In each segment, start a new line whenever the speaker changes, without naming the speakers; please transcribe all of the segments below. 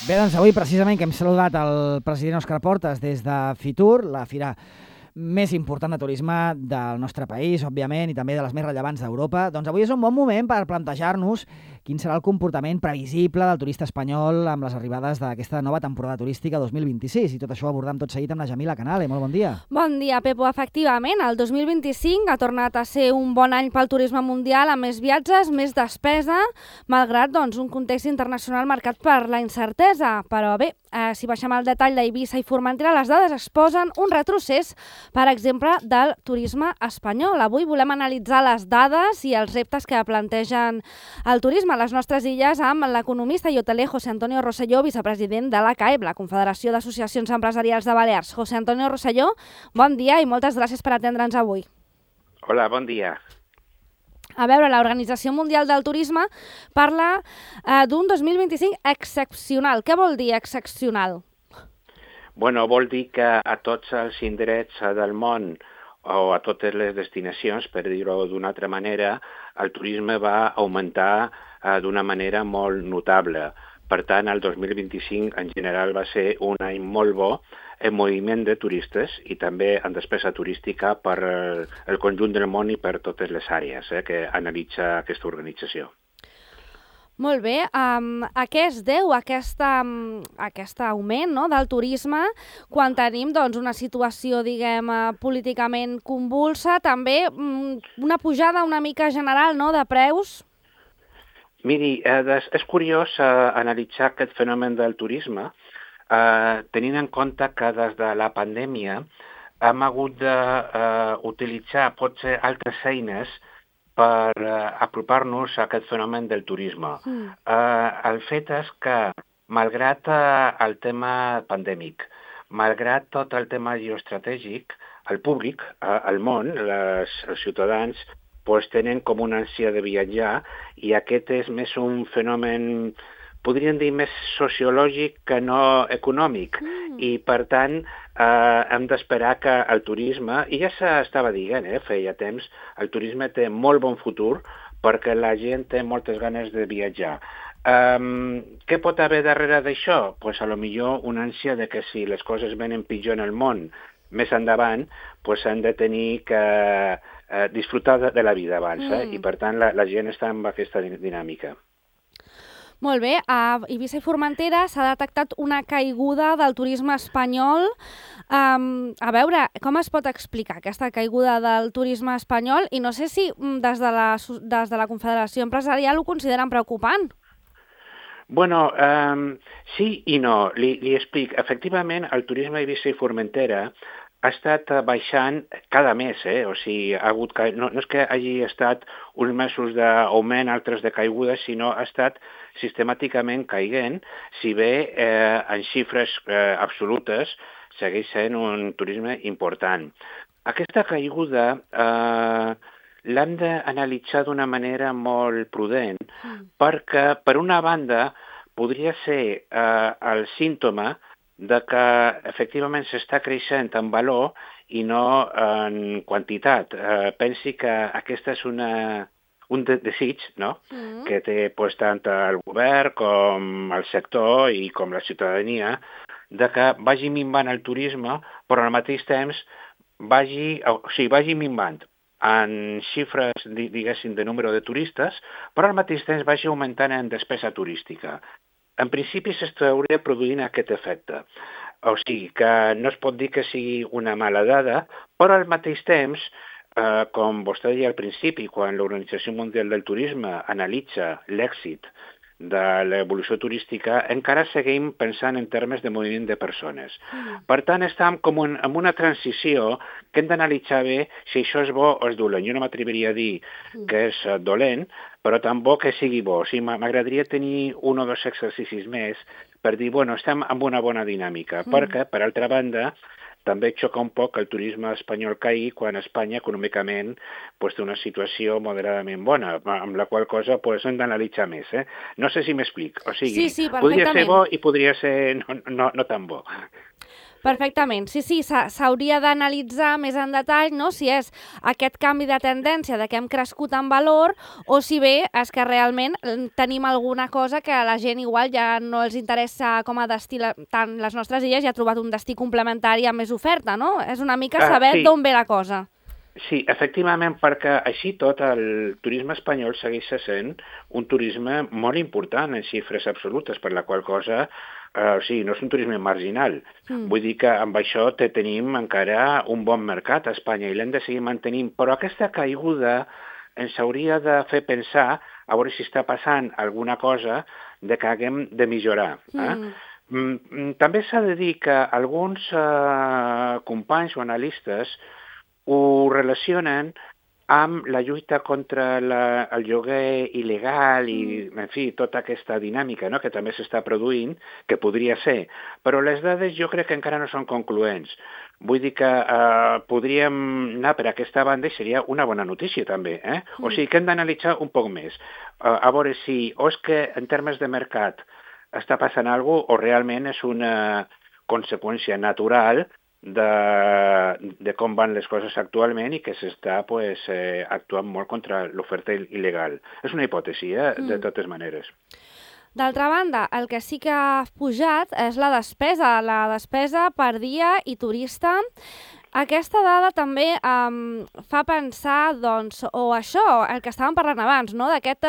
Bé, doncs avui precisament que hem saludat el president Òscar Portas des de Fitur, la fira més important de turisme del nostre país, òbviament, i també de les més rellevants d'Europa. Doncs avui és un bon moment per plantejar-nos quin serà el comportament previsible del turista espanyol amb les arribades d'aquesta nova temporada turística 2026. I tot això ho abordam tot seguit amb la Jamila Canale. Molt bon dia.
Bon dia, Pepo. Efectivament, el 2025 ha tornat a ser un bon any pel turisme mundial, amb més viatges, més despesa, malgrat un context internacional marcat per la incertesa. Però bé, si baixem al detall d'Eivissa i Formentera, les dades exposen un retrocés, per exemple, del turisme espanyol. Avui volem analitzar les dades i els reptes que plantegen el turisme a les nostres illes amb l'economista i hoteler José Antonio Rosselló, vicepresident de la CAEB, la Confederació d'Associacions Empresarials de Balears. José Antonio Rosselló, bon dia i moltes gràcies per atendre'ns avui.
Hola, bon dia.
A veure, l'Organització Mundial del Turisme parla d'un 2025 excepcional. Què vol dir excepcional?
Bueno, vol dir que a tots els indrets del món o a totes les destinacions, per dir-ho d'una altra manera, el turisme va augmentar d'una manera molt notable. Per tant, el 2025 en general va ser un any molt bo en moviment de turistes i també en despesa turística per el conjunt del món i per totes les àrees que analitza aquesta organització.
Molt bé. A què es deu aquest augment del turisme quan tenim una situació, políticament convulsa, també una pujada una mica general de preus?
Miri, és curiós analitzar aquest fenomen del turisme tenint en compte que des de la pandèmia hem hagut d'utilitzar potser altres eines per apropar-nos a aquest fenomen del turisme. El fet és que, malgrat el tema pandèmic, malgrat tot el tema geoestratègic, el públic, el món, els ciutadans, tenen com una ànsia de viatjar i aquest és més un fenomen, podríem dir, més sociològic que no econòmic. I, per tant, hem d'esperar que el turisme, i ja s'estava dient, feia temps, el turisme té molt bon futur perquè la gent té moltes ganes de viatjar. Què pot haver darrere d'això? Pues, a lo millor una ànsia de que si les coses venen pitjor en el món més endavant, han de tenir que disfrutar de la vida abans, i per tant la gent està en aquesta dinàmica.
Molt bé, a Eivissa i Formentera s'ha detectat una caiguda del turisme espanyol. A veure, com es pot explicar aquesta caiguda del turisme espanyol? I no sé si des de la Confederació Empresarial ho consideren preocupant.
Bueno, sí i no. Li explic. Efectivament, el turisme a Eivissa i Formentera ha estat baixant cada mes, o sigui, no és que hagi estat uns mesos d'augment, altres de caiguda, sinó ha estat sistemàticament caiguent, si bé en xifres absolutes segueix sent un turisme important. Aquesta caiguda l'hem d'analitzar d'una manera molt prudent, perquè, per una banda, podria ser el símptoma de que efectivament s'està creixent en valor i no en quantitat. Pensi que aquesta és un desig, no? Que té tant el govern com el sector i com la ciutadania, de que vagi minvant el turisme, però al mateix temps vagi minvant en xifres, diguéssim, de número de turistes, però al mateix temps vagi augmentant en despesa turística. En principi s'hauria produint aquest efecte. O sigui, que no es pot dir que sigui una mala dada, però al mateix temps, com vostè deia al principi, quan l'Organització Mundial del Turisme analitza l'èxit de l'evolució turística, encara seguim pensant en termes de moviment de persones. Per tant, estem com en una transició que hem d'analitzar bé si això és bo o és dolent. Jo no m'atreviria a dir que és dolent, però tan bo que sigui bo. O sigui, m'agradaria tenir un o dos exercicis més per dir, bueno, estem en una bona dinàmica, perquè, per altra banda, també xoca un poc que el turisme espanyol caigui quan Espanya econòmicament té una situació moderadament bona, amb la qual cosa hem d'analitzar més. No sé si m'explic. O sigui,
sí,
podria ser bo i podria ser no tan bo.
Perfectament. Sí, s'hauria d'analitzar més en detall, no?, si és aquest canvi de tendència de que hem crescut en valor o si bé és que realment tenim alguna cosa que a la gent igual ja no els interessa com a destí tant les nostres illes i ha trobat un destí complementari amb més oferta, no? És una mica saber d'on ve la cosa.
Sí, efectivament, perquè així tot el turisme espanyol segueix sent un turisme molt important en xifres absolutes, per la qual cosa, o sigui, no és un turisme marginal. Vull dir que amb això tenim encara un bon mercat a Espanya i l'hem de seguir mantenint, però aquesta caiguda ens hauria de fer pensar a veure si està passant alguna cosa de que haguem de millorar. També s'ha de dir que alguns companys o analistes ho relacionen amb la lluita contra el lloguer il·legal i, en fi, tota aquesta dinàmica, no?, que també s'està produint, que podria ser. Però les dades jo crec que encara no són concloents. Vull dir que podríem anar per aquesta banda i seria una bona notícia també. O sigui que hem d'analitzar un poc més. A veure si o és que en termes de mercat està passant alguna cosa o realment és una conseqüència natural de com van les coses actualment i que s'està actuant molt contra l'oferta il·legal. És una hipòtesi, de totes maneres.
D'altra banda, el que sí que ha pujat és la despesa per dia i turista. Aquesta dada també fa pensar, doncs, o això, el que estàvem parlant abans, no?, d'aquest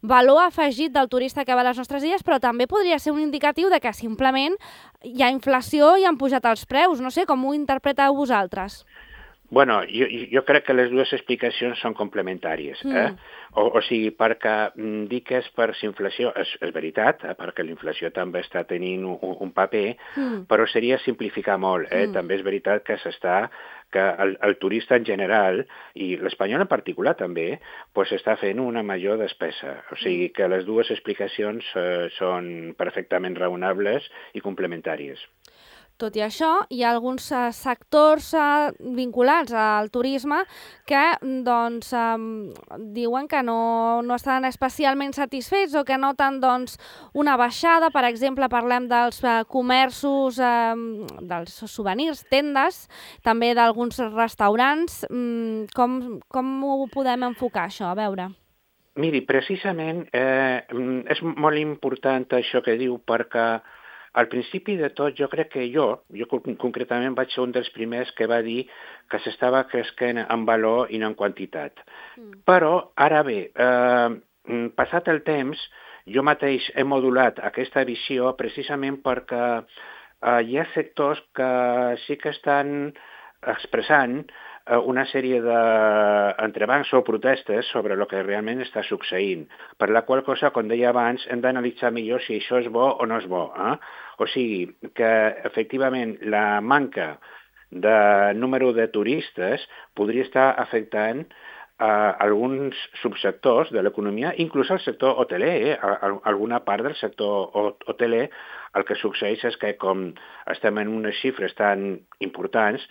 valor afegit del turista que va a les nostres illes, però també podria ser un indicatiu de que simplement hi ha inflació i han pujat els preus. No sé, com ho interpreteu vosaltres?
Bueno, jo crec que les dues explicacions són complementàries. O sigui, perquè dir que és per inflació és veritat, perquè la inflació també està tenint un paper, però seria simplificar molt. També és veritat que que el turista en general, i l'espanyol en particular també, està fent una major despesa. O sigui que les dues explicacions són perfectament raonables i complementàries.
Tot i això, hi ha alguns sectors vinculats al turisme que doncs, diuen que no estan especialment satisfets o que noten doncs, una baixada. Per exemple, parlem dels comerços, dels souvenirs, tendes, també d'alguns restaurants. Com ho podem enfocar, això? A veure.
Miri, precisament és molt important això que diu, perquè al principi de tot, jo crec que jo concretament vaig ser un dels primers que va dir que s'estava creixent en valor i no en quantitat. Però, ara bé, passat el temps, jo mateix he modulat aquesta visió precisament perquè hi ha sectors que sí que estan expressant una sèrie d'entrebancs o protestes sobre el que realment està succeint, per la qual cosa, com deia abans, hem d'analitzar millor si això és bo o no és bo. O sigui, que efectivament la manca de número de turistes podria estar afectant alguns subsectors de l'economia, inclús el sector hoteler. Alguna part del sector hoteler, el que succeeix és que com estem en unes xifres tan importants,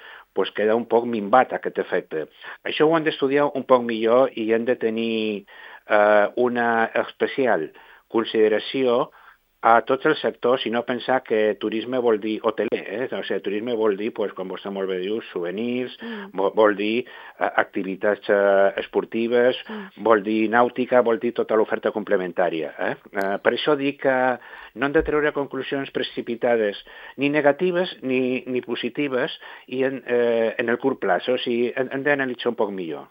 queda un poc minvat aquest efecte. Això ho hem d'estudiar un poc millor i hem de tenir una especial consideració a tots els sectors i no pensar que turisme vol dir hoteler. O sigui, turisme vol dir, com vostè molt bé diu, souvenirs, vol dir activitats esportives, vol dir nàutica, vol dir tota l'oferta complementària. Per això dic que no hem de treure conclusions precipitades, ni negatives ni positives, i en el curt plaç. O sigui, hem d'analitzar un poc millor.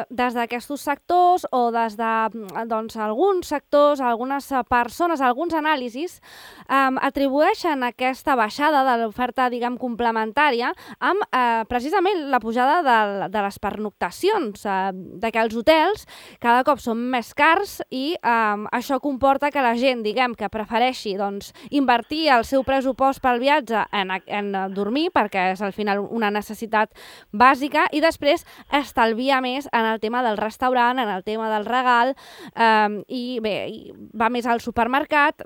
Des d'aquests sectors o des d'alguns sectors, algunes persones, alguns anàlisis atribueixen aquesta baixada de l'oferta, diguem, complementària amb precisament la pujada de les pernoctacions, de que els hotels cada cop són més cars i això comporta que la gent, diguem, que prefereixi invertir el seu pressupost pel viatge en dormir, perquè és al final una necessitat bàsica, i després estalvia més en el tema del restaurant, en el tema del regal, i bé, va més al supermercat,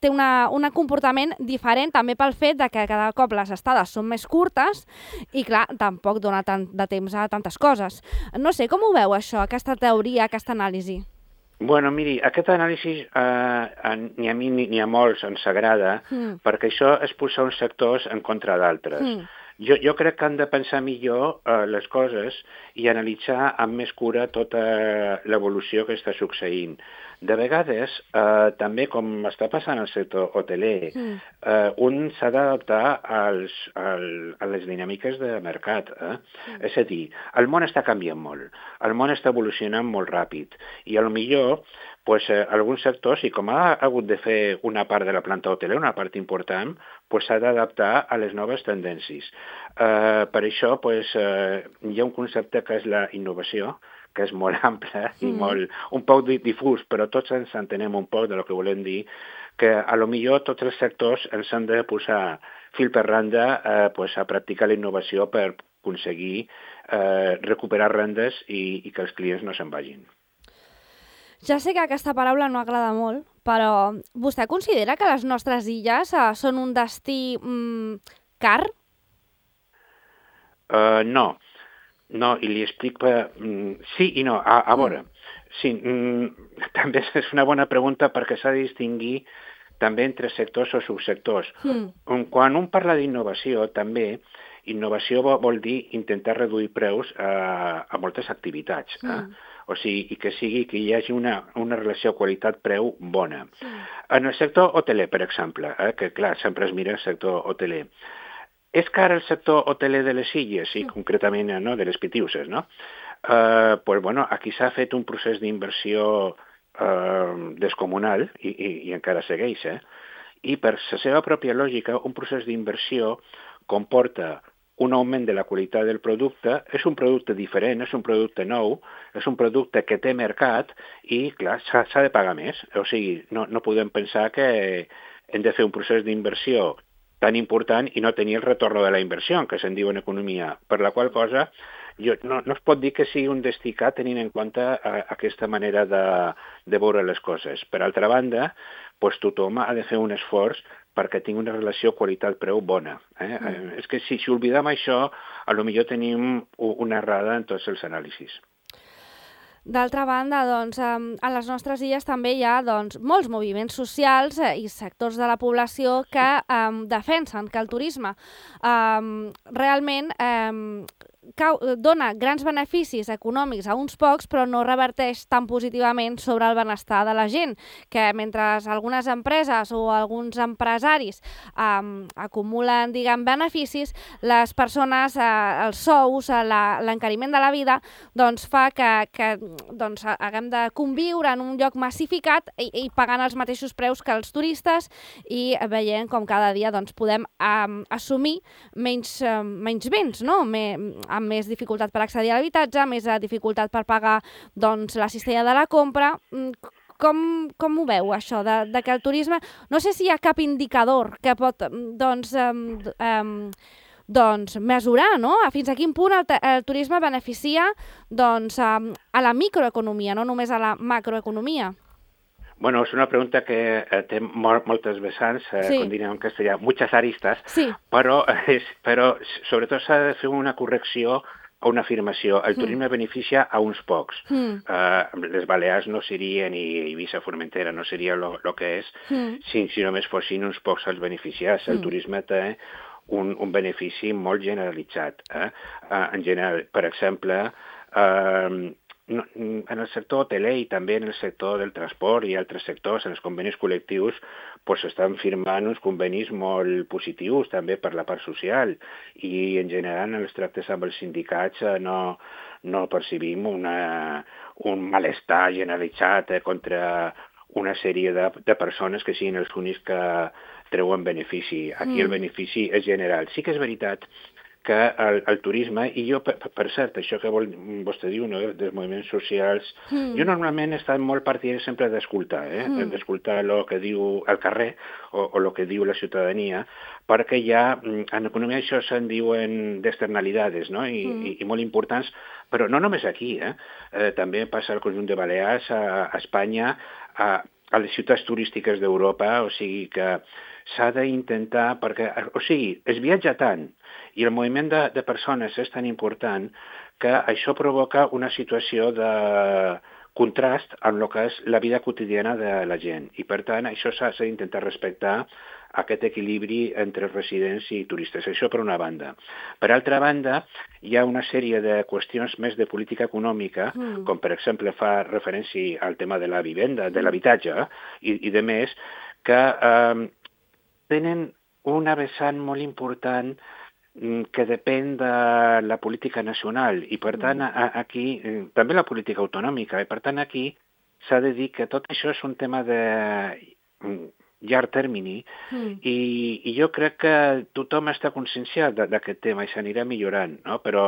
té un comportament diferent també pel fet de que cada cop les estades són més curtes i, clar, tampoc dona tant de temps a tantes coses. No sé, com ho veu això, aquesta teoria, aquesta anàlisi?
Bueno, miri, aquest anàlisi ni a mi ni a molts ens agrada, perquè això és posar uns sectors en contra d'altres. Jo crec que han de pensar millor les coses i analitzar amb més cura tota l'evolució que està succeint. De vegades, també com està passant al sector hoteler, un s'ha d'adaptar a les dinàmiques de mercat. És a dir, el món està canviant molt, el món està evolucionant molt ràpid i potser pues, alguns sectors, i com ha hagut de fer una part de la planta hotelera, una part important, pues, s'ha d'adaptar a les noves tendències. Per això pues, hi ha un concepte que és la innovació, que és molt ample i un poc difús, però tots ens entenem un poc de lo que volem dir, que a lo millor tots els sectors ens han de posar fil per randa pues, a practicar la innovació per aconseguir recuperar rendes i que els clients no se'n vagin.
Ja sé que aquesta paraula no agrada molt, però vostè considera que les nostres illes són un destí car?
No, i li explico... sí i no, a veure. Sí, també és una bona pregunta perquè s'ha de distingir també entre sectors o subsectors. Quan un parla d'innovació, també, innovació vol dir intentar reduir preus a moltes activitats. O sigui, que hi hagi una relació qualitat-preu bona. En el sector hoteler, per exemple, que clar, sempre es mira el sector hoteler, és car el sector hoteler de les illes, i concretament no, de les Pitiuses, no? Pues, bueno, aquí s'ha fet un procés d'inversió descomunal i encara segueix, i per la seva pròpia lògica, un procés d'inversió comporta un augment de la qualitat del producte, és un producte diferent, és un producte nou, és un producte que té mercat i, clar, s'ha de pagar més. O sigui, no podem pensar que hem de fer un procés d'inversió tan important i no tenir el retorn de la inversió, que se'n diu en economia, per la qual cosa no es pot dir que sigui un destí car tenint en compte aquesta manera de veure les coses. Per altra banda, pues, tothom ha de fer un esforç perquè tingui una relació qualitat-preu bona. És que si oblidem això, potser tenim una errada en tots els anàlisis.
D'altra banda, doncs, a les nostres illes també hi ha molts moviments socials i sectors de la població que defensen que el turisme realment dona grans beneficis econòmics a uns pocs, però no reverteix tan positivament sobre el benestar de la gent, que mentre algunes empreses o alguns empresaris acumulen, beneficis, les persones, els sous, l'encariment de la vida, doncs fa que haguem de conviure en un lloc massificat i pagant els mateixos preus que els turistes i veient com cada dia podem assumir menys béns, no? Amb més dificultat per accedir a l'habitatge, més dificultat per pagar la cistella de la compra. Com ho veu, això, de que el turisme... No sé si hi ha cap indicador que pot mesurar, no? Fins a quin punt el turisme beneficia a la microeconomia, no només a la macroeconomia.
Bueno, és una pregunta que té moltes vessants, com diríem en castellà, muchas aristas, però sobretot s'ha de fer una correcció o una afirmació. El turisme beneficia a uns pocs. Les Balears no serien, i Eivissa, Formentera no seria el que és, si només fossin uns pocs els beneficiats. El turisme té un benefici molt generalitzat. En general, per exemple, en el sector hoteler i també en el sector del transport i altres sectors, en els convenis col·lectius, s'estan firmant uns convenis molt positius també per la part social i en general en els tractes amb els sindicats no percibim un malestar generalitzat contra una sèrie de persones que siguin els únics que treuen benefici. Aquí el benefici és general. Sí que és veritat que el turisme, i jo, per cert, això que vostè diu, no, dels moviments socials, jo normalment he estat molt partidari sempre d'escoltar, d'escoltar el que diu el carrer o el que diu la ciutadania, perquè ja, en economia això se'n diuen d'externalidades, no? I molt importants, però no només aquí, també passa al conjunt de Balears, a Espanya, a les ciutats turístiques d'Europa, o sigui que s'ha d'intentar, perquè, o sigui, es viatja tant i el moviment de persones és tan important que això provoca una situació de contrast amb el que és la vida quotidiana de la gent. I, per tant, això s'ha d'intentar respectar aquest equilibri entre residents i turistes. Això per una banda. Per altra banda, hi ha una sèrie de qüestions més de política econòmica, com per exemple fa referència al tema de la vivenda, de l'habitatge i de més, que tenen una vessant molt important que depèn de la política nacional i, per tant, aquí, també la política autonòmica, i, per tant, aquí s'ha de dir que tot això és un tema de llarg termini i jo crec que tothom està conscienciat d'aquest tema i s'anirà millorant, no? Però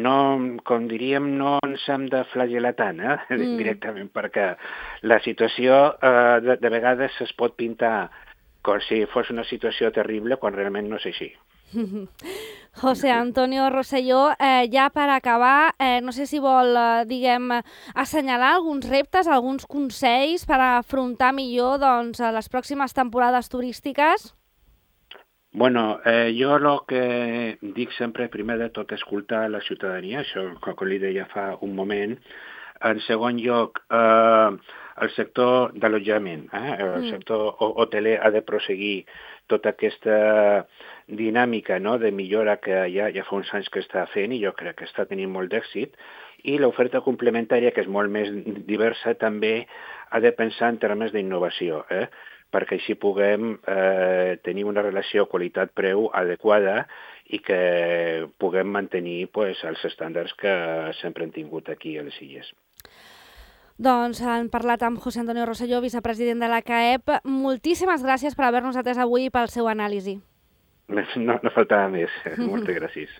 no, com diríem, no ens hem de flagel·lar tant directament, perquè la situació de vegades es pot pintar com si fos una situació terrible quan realment no és així.
José Antonio Rosselló, ja per acabar, no sé si vol, assenyalar alguns reptes, alguns consells per afrontar millor les pròximes temporades turístiques?
Bueno, jo el que dic sempre, primer de tot, escoltar la ciutadania, això com li deia fa un moment. En segon lloc, el sector d'allotjament, el sector hoteler ha de prosseguir tota aquesta dinàmica de millora que ja fa uns anys que està fent i jo crec que està tenint molt d'èxit. I l'oferta complementària, que és molt més diversa, també ha de pensar en termes d'innovació, perquè així puguem tenir una relació qualitat-preu adequada i que puguem mantenir els estàndards que sempre hem tingut aquí a les Illes.
Doncs han parlat amb José Antonio Rosselló, vicepresident de la CAEP. Moltíssimes gràcies per haver-nos atès avui i pel seu anàlisi.
No faltava més. Moltes gràcies.